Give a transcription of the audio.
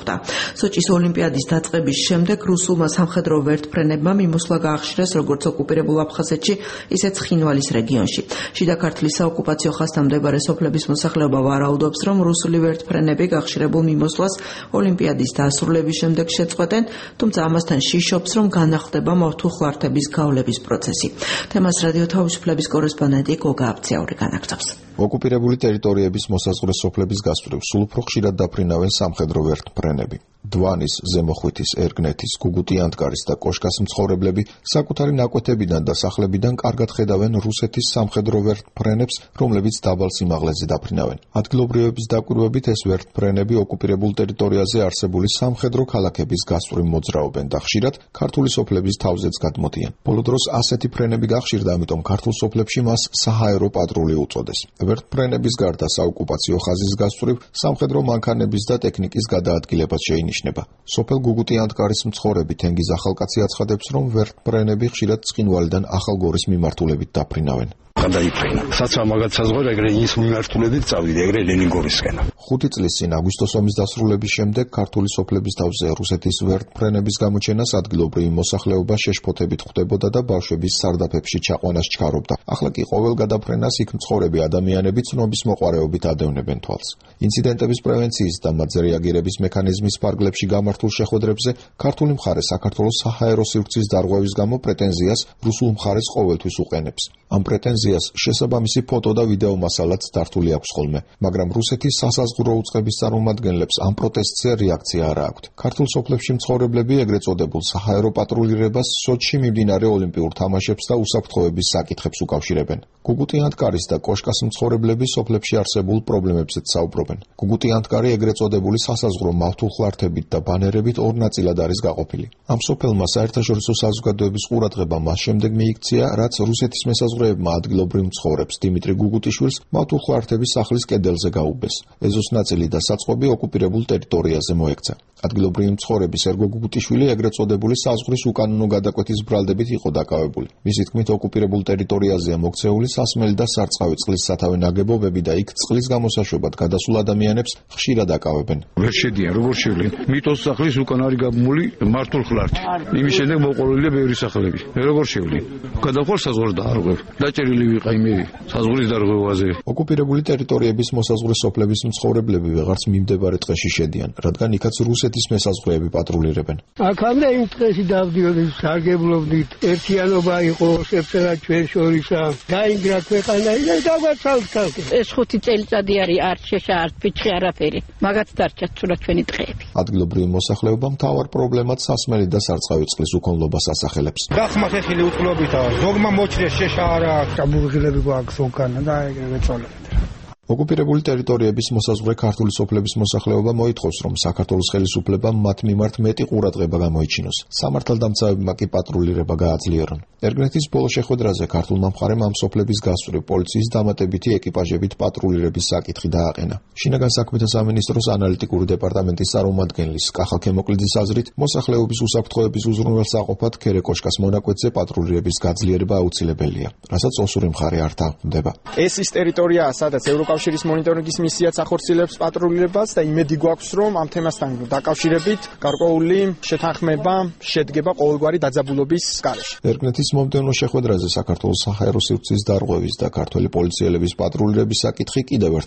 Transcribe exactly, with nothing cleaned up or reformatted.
მოხვდა. სოჭის ოლიმპიადის დაწყების შემდეგ რუსულმა სამხედრო ვერტმფრენებმა მიმოსვლა გაახშირეს როგორც ოკუპირებულ აფხაზეთში, ისე ცხინვალის რეგიონში. შიდა ქართლის საოკუპაციო ხაზთან მდებარე სოფლების მოსახლეობა ვარაუდობს, რომ რუსული ვერტმფრენები გახშირებულ მიმოსვლას ოლიმპიადის დასრულების შემდეგ შეწყვეტენ, თუმცა ამასთან შიშობს, რომ განახლდება მავთულხლართების გავლების პროცესი. თემას რადიო თავისუფლების კორესპონდენტი გოგა აბცაური განაგრძობს. ოკუპირებული ტერიტორიების მოსაზღვრე სოფლების გასწვრივ სულ უფრო ხშირად დაფრინავენ სამხედრო ვერტმფრენები. დვანის, ზემოხვითის, ერგნეთის, გუგუტი-ანტკარის და კოშკას მცხოვრებლები საკუთარი ნაკვეთებიდან და სახლებიდან კარგად ხედავენ რუსეთის სამხედრო ვერტმფრენებს, რომლებიც დაბალ სიმაღლეზე დაფრინავენ. ადგილობრივების დაკვირვებით ეს ვერტმფრენები ოკუპირებულ ტერიტორიაზე არსებული სამხედრო ქალაქების გასწვრივ მოძრაობენ და ხშირად ქართული სოფლების თავზეც გადმოდიან. ბოლო დროს ასეთი ფრენები გახშირდა, ამიტომ ქართულ სოფლებში მას საჰაერო პატრული უწოდეს. ვერტმფრენების გარდა საოკუპაციო ხაზის გასწვრივ სამხედრო მანქანების და ტექნიკის გადაადგილებაც შეინიშნება. სოფელ გუგუტი-ანტკარის მცხოვრები თენგიზ ახალკაცი აცხადებს, რომ ვერტმფრენები ხშირად ცხინვალიდან ახალგორის მიმართულებით დაფრინავენ. გადაიფრინა. საცა მაგათ საზღვარი ეგრე ის მიმართულებით წავიდა, ეგრე ლენინგორისკენ. ხუთი წლის წინ აგვისტოს ომის დასრულების შემდეგ ქართული სოფლების თავზე რუსეთის ვერტმფრენების გამოჩენას ადგილობრივი მოსახლეობა შეშფოთებით ხვდებოდა და ბავშვების სარდაფებში ჩაყვანას ჩქარობდა. ახლა კი ყოველ გადაფრენას იქ მცხოვრები ადამიანები ცნობის მოყარეობით ადევნებენ თვალს. ინციდენტების პრევენციის და მათზე რეაგირების მექანიზმის ფარგლებში გამართულ შეხვედრებზე ქართული მხარე საქართველოს საჰაერო სივრცის დარღვევის გამო პრეტენზიას რუსულ მხარეს ყოველთვის უყენებს. ამ პრეტენზიას შესაბამისი ფოტო და ვიდეო მასალაც დართული აქვს ხოლმე, მაგრამ რუსეთის სასაზღვრო უწყების წარმომადგენლებს ამ პროტესტზე რეაქცია არ აქვთ. ქართულ სოფლებში მცხოვრებლები ეგრეთ წოდებულ საჰაერო პატრულირებას სოჩში მიმდინარე ოლიმპიურ თამაშებს და უსაფრთხოების საკითხებს უკავშირებენ. გუგუტი-ანტკარის და კოშკას მცხოვრებლები სოფლებში არსებულ პრობლემებზეც საუბრობენ. გუგუტი-ანტკარი ეგრეთ წოდებული სასაზღვრო მავთულხლართებით და ბანერებით ორ ნაწილად არის გაყოფილი. ამ სოფელმა საერთაშორისო საზოგადოების ყურადღება მას შემდეგ მიიქცია, რაც რუსეთის მესაზღვრეებმა ადგილობრივ მცხოვრებს დიმიტრი გუგუტიშვილს მავთულხლართების სახლის კედელზე გაუბეს. ეზოს ნაწილი და საწყობი ოკუპირებულ ტერიტორიაზე მოექცა. ადგილობრივი მცხოვრები სერგო გუგუტიშვილი ეგრეთ წოდებული საზღვრის უკანონო გადაკვეთის ბრალდებით იყო დაკავებული. მისი თქმით, ოკუპირებულ ტერიტორიაზეა მოქცეული სასმელი და სარწყავი წყლის სათავე ნაგებობები და იქ წყლის გამოსაშვებად გადასულ ადამიანებს ხშირად აკავებენ. ვერ შედიან, როგორ შევლენ? მიტოს სახლის უკან არის გაბმული მართულხლართი. იმის შემდეგ მოყოლილია ბევრი სახლები. როგორ შევლენ? გადახვალ საზღვარს დაარღვევ. დაჭერილი ვიყავი მე საზღვრის დარღვევაზე. ოკუპირებული ტერიტორიების მოსაზღვრე სოფლების მცხოვრებლები ვეღარც მიმდებარე ტყეში შედიან, რადგან იქაც რუსეთის მესაზღვრეები პატრულირებენ. აქამდე იმ ტყეში დავდიოდით, სარგებლობდით, ერთიანობა იყო შეფერა ჩვენ შორისა. დაინგრა ქვეყანა და დაგვაცალთ ხალხი. ეს ხუთი წელიწადი არის არ შეშა არ ფიჩხი არაფერი. მაგაც დარჩა ცუდად ჩვენი ტყეები. ადგილობრივი მოსახლეობა მთავარ პრობლემად სასმელი და სარწყავი წყლის უკონლობას ასახელებს. გახმა ხეხილი უწყლობითა, ზოგმა მოჭრეს შეშა არა აქვს. აბურღილები გვაქვს უკანა და ეგრევე წოლებთ. ოკუპირებული ტერიტორიების მოსაზღვრე ქართული სოფლების მოსახლეობა მოითხოვს, რომ საქართველოს ხელისუფლებამ მათ მიმართ მეტი ყურადღება გამოიჩინოს. სამართალდამცავებმა კი პატრულირება გააძლიერონ. ერგნეთის ბოლო შეხვედრაზე ქართულმა მხარემ ამ სოფლების გასწვრივ პოლიციის დამატებითი ეკიპაჟებით პატრულირების საკითხი დააყენა. შინაგან საქმეთა სამინისტროს ანალიტიკური დეპარტამენტის წარმომადგენლის კახა ქემოკლიძის აზრით, მოსახლეობის უსაფრთხოების უზრუნველსაყოფად ქერეკოშკას მონაკვეთზე პატრულირების გაძლიერება აუცილებელია, რასაც ოსური მხარე არ თანხმდება. ეს ის ტერიტორიაა, სადაც ევროკავშირის მონიტორინგის მისიაც ახორციელებს პატრულირებას და იმედი გვაქვს, რომ ამ თემასთან დაკავშირებით გარკვეული შეთანხმება შედგება ყოველგვარი დაძაბულობის გარეშე. ერგნეთის მომდევნო შეხვედრაზე საქართველოს საჰაერო სივრცის დარღვევის და ქართველი პოლიციელების პატრულირების საკითხი კიდევ ერთხელ